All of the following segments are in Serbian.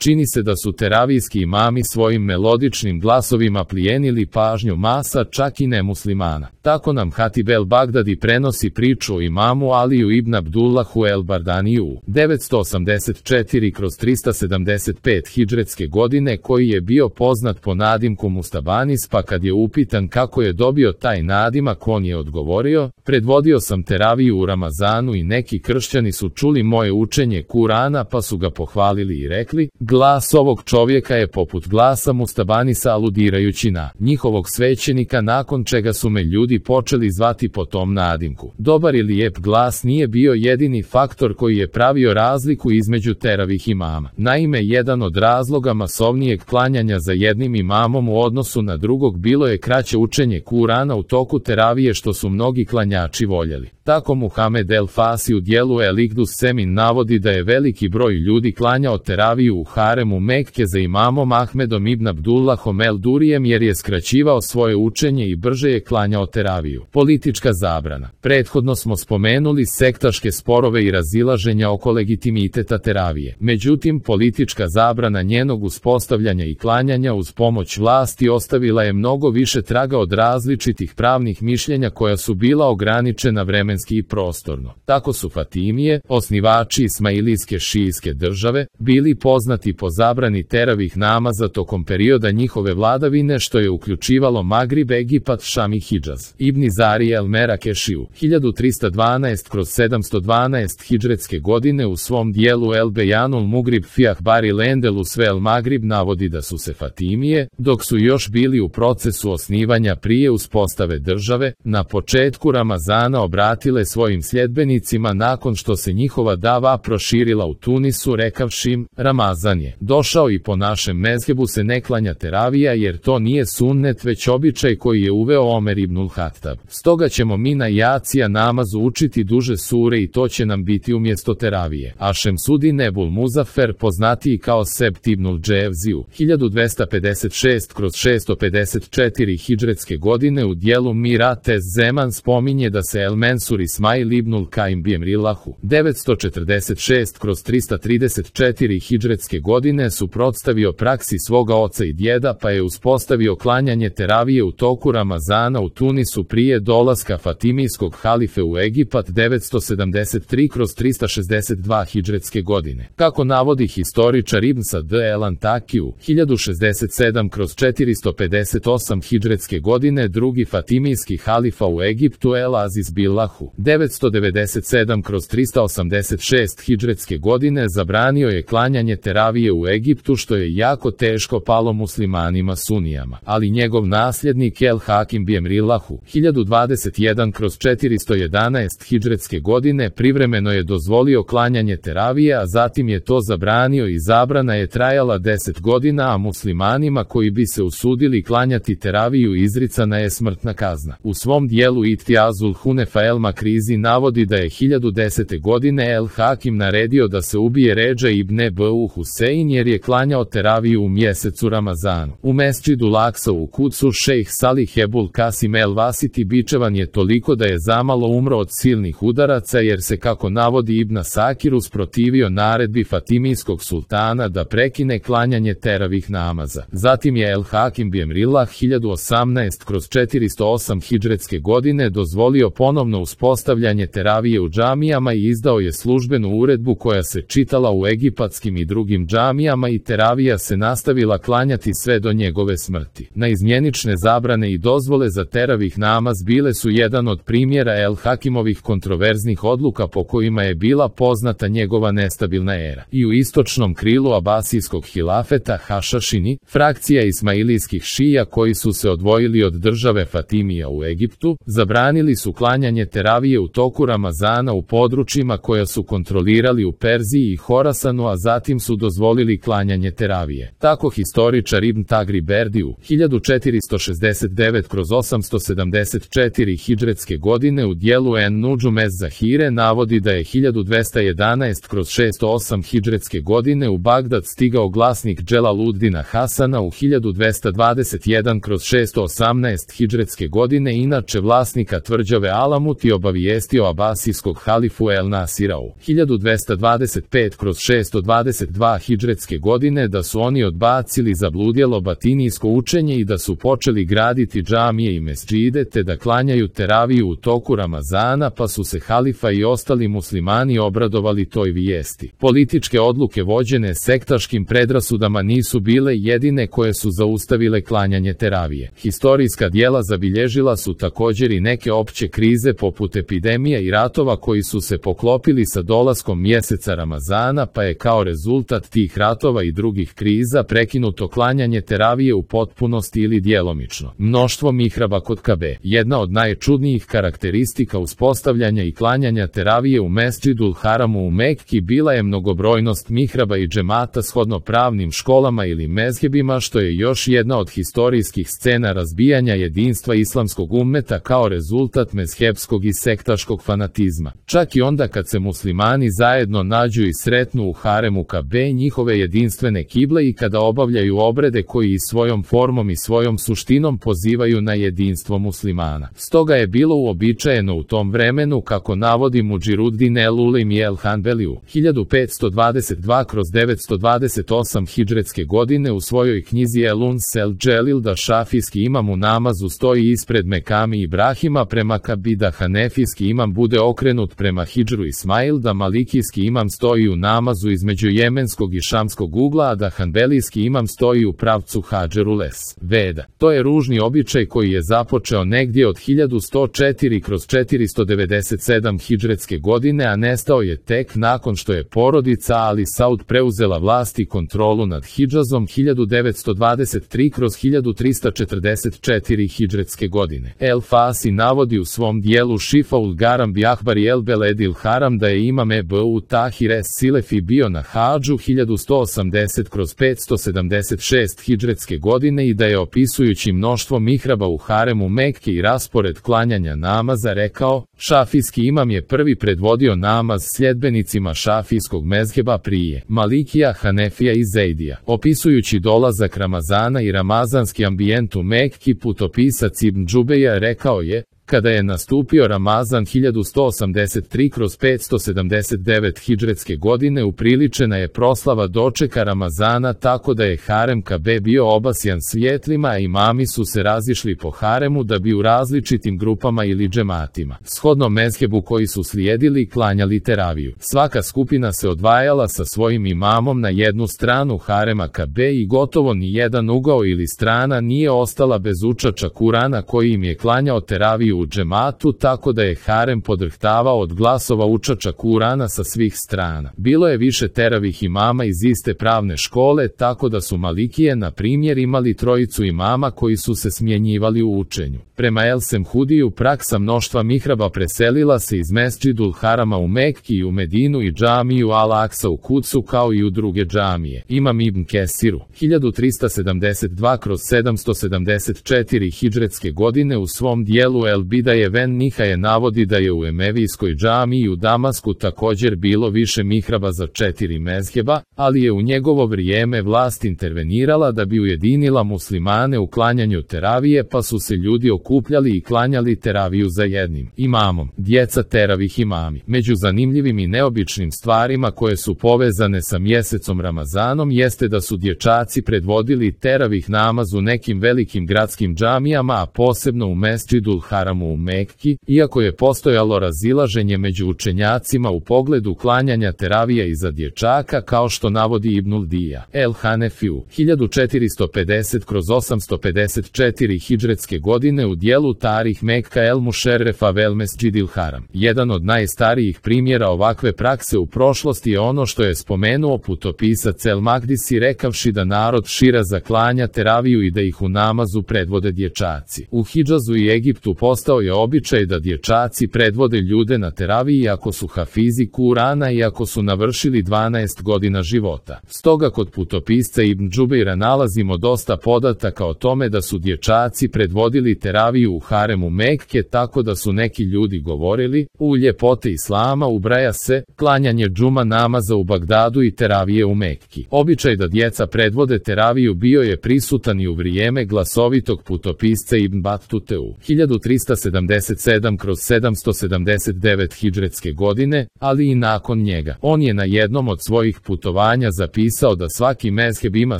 Čini se da su teravijski imami svojim melodičnim glasovima plijenili pažnju masa, čak i nemuslimana. Tako nam Hatib el-Bagdadi prenosi priču o imamu Aliju ibn Abdullahu el-Bardaniju 984/375 hidžretske godine, koji je bio poznat po nadimku Mustabanis, pa kad je upitan kako je dobio taj nadimak, on je odgovorio: predvodio sam teraviju u Ramazanu i neki kršćani su čuli moje učenje Kurana pa su ga pohvalili i rekli: glas ovog čovjeka je poput glasa Mustabanisa, aludirajući na njihovog svećenika, nakon čega su me ljudi počeli zvati po tom nadimku. Dobar i lijep glas nije bio jedini faktor koji je pravio razliku između teravih imama. Naime, jedan od razloga masovnijeg klanjanja za jednim imamom u odnosu na drugog bilo je kraće učenje Kurana u toku teravije, što su mnogi klanjači voljeli. Tako Muhamed el-Fasi u dijelu El-Ikdus Semin navodi da je veliki broj ljudi klanjao teraviju u haremu Mekke za imamom Ahmedom ibn Abdullahom el-Durijem, jer je skraćivao svoje učenje i brže je klanjao teraviju. Politička zabrana. Prethodno smo spomenuli sektaške sporove i razilaženja oko legitimiteta teravije. Međutim, politička zabrana njenog uspostavljanja i klanjanja uz pomoć vlasti ostavila je mnogo više traga od različitih pravnih mišljenja koja su bila ograničena vremenski i prostorno. Tako su Fatimije, osnivači Ismailijske šijijske države, bili poznati po zabrani teravih namaza tokom perioda njihove vladavine, što je uključivalo Magrib, Egipat, Šam i Hidžaz. Ibn Zari el-Merakešiju 1312/712 hidžretske godine u svom dijelu El Bejanul Mugrib fi Ahbari Lendelus vel Magrib navodi da su se Fatimije, dok su još bili u procesu osnivanja prije uspostave države, na početku Ramazana obratile svojim sljedbenicima nakon što se njihova dava proširila u Tunisu, rekavši im: Ramazan je došao i po našem mezhebu se ne klanja teravija, jer to nije sunnet već običaj koji je uveo Omer ibnul Hattab. Stoga ćemo mi na jacija namazu učiti duže sure i to će nam biti umjesto teravije. A Šemsudin Ebul Muzafer, poznatiji kao Sebt ibnul Dževziju 1256/654 hidžretske godine u dijelu Mirat ez Zeman spominje da se El-Mensur Ismail ibnul Kaim Bjemrilahu 946/334 hidžretske godine suprotstavio praksi svoga oca i djeda, pa je uspostavio klanjanje teravije u toku Ramazana u Tunisu prije dolaska Fatimijskog halife u Egipat 973/362 hidžretske godine. Kako navodi historičar Ibn Sad el-Antakiju 1067/458 hidžretske godine, drugi Fatimijski halifa u Egiptu El-Aziz Billahu 997/386 hidžretske godine zabranio je klanjanje teravije u Egiptu, što je jako teško palo muslimanima sunijama, ali njegov nasljednik El-Hakim Bjemrilahu 1021/411 hidžretske godine privremeno je dozvolio klanjanje teravije, a zatim je to zabranio i zabrana je trajala 10 godina, a muslimanima koji bi se usudili klanjati teraviju izricana je smrtna kazna. U svom dijelu Ittiazul Hunefa el-Makrizi navodi da je 1010. godine El-Hakim naredio da se ubije Redža ibn Ebu Husein jer je klanjao teraviju u mjesecu Ramazanu. U Mesdžidu Laksa u Kudsu šejh Salih Ebul Kasim el-Vasiti bičevan je toliko da je zamalo umro od silnih udaraca, jer se, kako navodi Ibn Sakir, usprotivio naredbi Fatimijskog sultana da prekine klanjanje teravih namaza. Zatim je El-Hakim Bjemrilah 1018/408 hidžretske godine dozvolio ponovno uspostavljanje teravije u džamijama i izdao je službenu uredbu koja se čitala u egipatskim i drugim džamijama i teravija se nastavila klanjati sve do njegove smrti. Naizmjenične zabrane i dozvole za teravih namaz bile su jedan od primjera El-Hakimovih kontroverznih odluka po kojima je bila poznata njegova nestabilna era. I u istočnom krilu Abasijskog hilafeta Hašašini, frakcija ismailijskih šija koji su se odvojili od države Fatimija u Egiptu, zabranili su klanjanje teravije u toku Ramazana u područjima koja su kontrolirali u Perziji i Horasanu, a zatim su dozvolili klanjanje teravije. Tako historičar Ibn Tagri Berdiju 1469/870 1284 hidžretske godine u dijelu En-Nudžum ez-Zahire navodi da je 1211/608 hidžretske godine u Bagdad stigao glasnik Dželaluddina Hasana u 1221/618 hidžretske godine inače vlasnika tvrđave Alamut i obavijestio abasijskog halifu El Nasira u 1225/622 hidžretske godine da su oni odbacili zabludjelo batinijsko učenje i da su počeli graditi džamije i mesdžide te da klanjaju teraviju u toku Ramazana, pa su se halifa i ostali muslimani obradovali toj vijesti. Političke odluke vođene sektaškim predrasudama nisu bile jedine koje su zaustavile klanjanje teravije. Historijska dijela zabilježila su također i neke opće krize poput epidemija i ratova koji su se poklopili sa dolaskom mjeseca Ramazana, pa je kao rezultat tih ratova i drugih kriza prekinuto klanjanje teravije u potpunosti ili djelomično. Mnoštvo mihraba kod Kabe. Jedna od najčudnijih karakteristika uspostavljanja i klanjanja teravije u Mesdžidul Haramu u Mekki bila je mnogobrojnost mihraba i džemata shodno pravnim školama ili mezhebima, što je još jedna od historijskih scena razbijanja jedinstva islamskog ummeta kao rezultat mezhebskog i sektaškog fanatizma. Čak i onda kad se muslimani zajedno nađu i sretnu u haremu Kabe, njihove jedinstvene kible, i kada obavljaju obrede koji i svojom formom i svojom suštinom pozivaju na jedinstvo muslimana. Stoga je bilo uobičajeno u tom vremenu, kako navodi Mudžiruddin el-Ulim i el-Hanbeli u 1522/928 hidžretske godine u svojoj knjizi El-Uns el-Dželil, da šafijski imam u namazu stoji ispred Mekami Ibrahima prema Kabi, da hanefijski imam bude okrenut prema Hidžru Ismail, da malikijski imam stoji u namazu između jemenskog i šamskog ugla, a da hanbelijski imam stoji u pravcu Hadžerules Veda. To je ružni običaj koji je započeo negdje od 1104/497 hidžretske godine, a nestao je tek nakon što je porodica Ali Saud preuzela vlast i kontrolu nad Hidžazom 1923/1344 hidžretske godine. El Fasi navodi u svom dijelu Šifaul Garam bi Ahbari el Beledil Haram da je imam Ebu Tahir es Silefi bio na Hadžu 1180/576 hidžretske godine i da je, opisujući mnoštvo mihraba u haremu Mekke i raspored klanjanja namaza, rekao: šafijski imam je prvi predvodio namaz sljedbenicima šafijskog mezheba prije Malikija, Hanefija i Zejdija. Opisujući dolazak Ramazana i ramazanski ambijent u Mekki, putopisac Ibn Džubeja rekao je: kada je nastupio Ramazan 1183/579 hidžretske godine, upriličena je proslava dočeka Ramazana tako da je harem Kabe bio obasjan svjetlima, a imami su se razišli po haremu da bi u različitim grupama ili džematima, shodno mezhebu koji su slijedili, klanjali teraviju. Svaka skupina se odvajala sa svojim imamom na jednu stranu harema Kabe i gotovo ni jedan ugao ili strana nije ostala bez učača Kurana koji im je klanjao teraviju u džematu, tako da je harem podrhtavao od glasova učača Kurana sa svih strana. Bilo je više teravih imama iz iste pravne škole, tako da su Malikije, na primjer, imali trojicu imama koji su se smjenjivali u učenju. Prema El Semhudiju, praksa mnoštva mihraba preselila se iz Mesdžidul Harama u Mekki i u Medinu i džamiju Al-Aksa u Kudsu, kao i u druge džamije. Imam Ibn Kesiru 1372/774 hidžretske godine u svom dijelu El Bidaje ven Nihaje navodi da je u Emevijskoj džamiji u Damasku također bilo više mihraba za 4 mezheba, ali je u njegovo vrijeme vlast intervenirala da bi ujedinila muslimane u klanjanju teravije, pa su se ljudi okupljali i klanjali teraviju za jednim imamom. Djeca teravih imami. Među zanimljivim i neobičnim stvarima koje su povezane sa mjesecom Ramazanom jeste da su dječaci predvodili teravih namaz u nekim velikim gradskim džamijama, a posebno u Mesdžidul Haramu u Mekki, iako je postojalo razilaženje među učenjacima u pogledu klanjanja teravija i za dječaka, kao što navodi Ibnul Dija. El Hanefiju 1450/854 hidžretske godine u dijelu Tarih Mekka El Mušerrefa vel Mesdžidil Haram. Jedan od najstarijih primjera ovakve prakse u prošlosti je ono što je spomenuo putopisac El Magdisi, rekavši da narod Širaza klanja teraviju i da ih u namazu predvode dječaci. U Hidžazu i Egiptu postao je običaj da dječaci predvode ljude na teraviji ako su hafizi Kurana i ako su navršili 12 godina života. Stoga kod putopisca Ibn Džubeira nalazimo dosta podataka o tome da su dječaci predvodili teraviju u haremu Mekke, tako da su neki ljudi govorili: u ljepote islama ubraja se klanjanje džuma namaza u Bagdadu i teravije u Mekki. Običaj da djeca predvode teraviju bio je prisutan i u vrijeme glasovitog putopisca Ibn Batute u 1377/779 hidžretske godine, ali i nakon njega. On je na jednom od svojih putovanja zapisao da svaki mezheb ima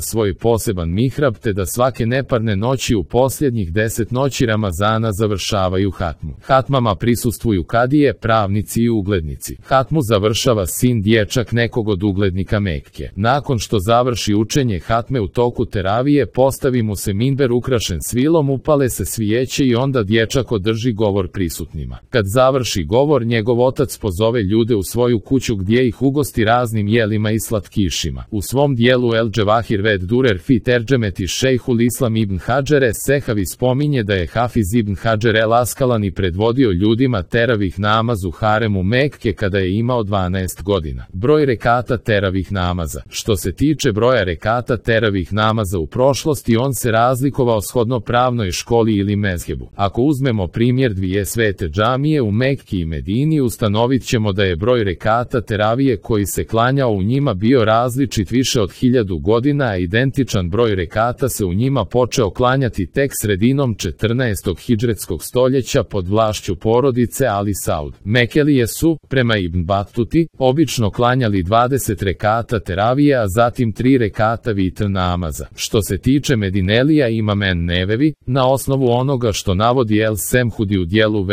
svoj poseban mihrab, te da svake neparne noći u posljednjih 10 noći Ramazana završavaju hatmu. Hatmama prisustvuju kadije, pravnici i uglednici. Hatmu završava sin dječak nekog od uglednika Mekke. Nakon što završi učenje hatme u toku teravije, postavi mu se minber ukrašen svilom, upale se svijeće i onda dječak održi govor prisutnima. Kad završi govor, njegov otac pozove ljude u svoju kuću gdje ih ugosti raznim jelima i slatkišima. U svom dijelu El Dževahir ved Durer fi Terđemeti Šejhul Islam ibn Hadžere Sehavi spominje da je Hafiz ibn Hadžer el Askalani predvodio ljudima teravih namaz u haremu Mekke kada je imao 12 godina. Broj rekata teravih namaza. Što se tiče broja rekata teravih namaza u prošlosti, on se razlikovao shodno pravnoj školi ili mezhebu. Ako uzmemo primjer dvije svete džamije u Mekki i Medini, ustanovit ćemo da je broj rekata teravije koji se klanjao u njima bio različit više od 1000 godina, a identičan broj rekata se u njima počeo klanjati tek sredinom 14. hidžretskog stoljeća pod vlašću porodice Ali Saud. Mekelije su, prema Ibn Batuti, obično klanjali 20 rekata teravije, a zatim 3 rekata vitr namaza. Što se tiče Medinelija, Imam en-Nevevi, na osnovu onoga što navodi El Semhudi u dijelu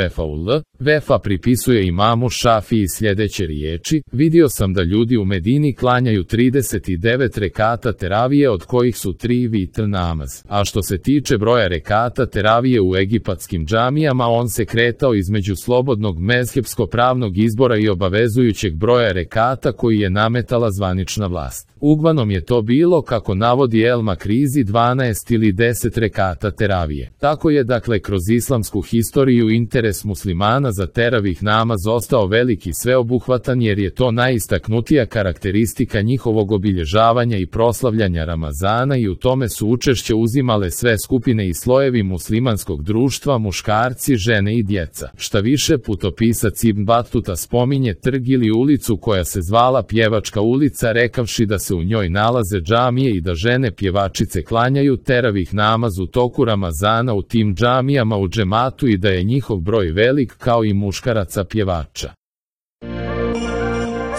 Vefa pripisuje imamu Šafiji sljedeće riječi: vidio sam da ljudi u Medini klanjaju 39 rekata teravije, od kojih su 3 vitr namaz. A što se tiče broja rekata teravije u egipatskim džamijama, on se kretao između slobodnog mezhebsko-pravnog izbora i obavezujućeg broja rekata koji je nametala zvanična vlast. Uglavnom je to bilo, kako navodi El Makrizi, 12 ili 10 rekata teravije. Tako je dakle kroz islamsku historiju interes muslimana za teravih namaz ostao veliki i sveobuhvatan, jer je to najistaknutija karakteristika njihovog obilježavanja i proslavljanja Ramazana, i u tome su učešće uzimale sve skupine i slojevi muslimanskog društva, muškarci, žene i djeca. Šta više, putopisac Ibn Batuta spominje trg ili ulicu koja se zvala Pjevačka ulica, rekavši da se u njoj nalaze džamije i da žene pjevačice klanjaju teravih namaz u toku Ramazana u tim džamijama u džematu i da je njihov broj velik kao i muškaraca pjevača.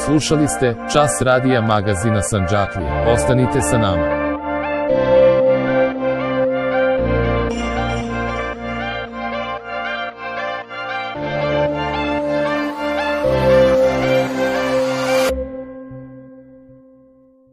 Slušali ste Čas radija magazina Sandžaklije. Ostanite sa nama.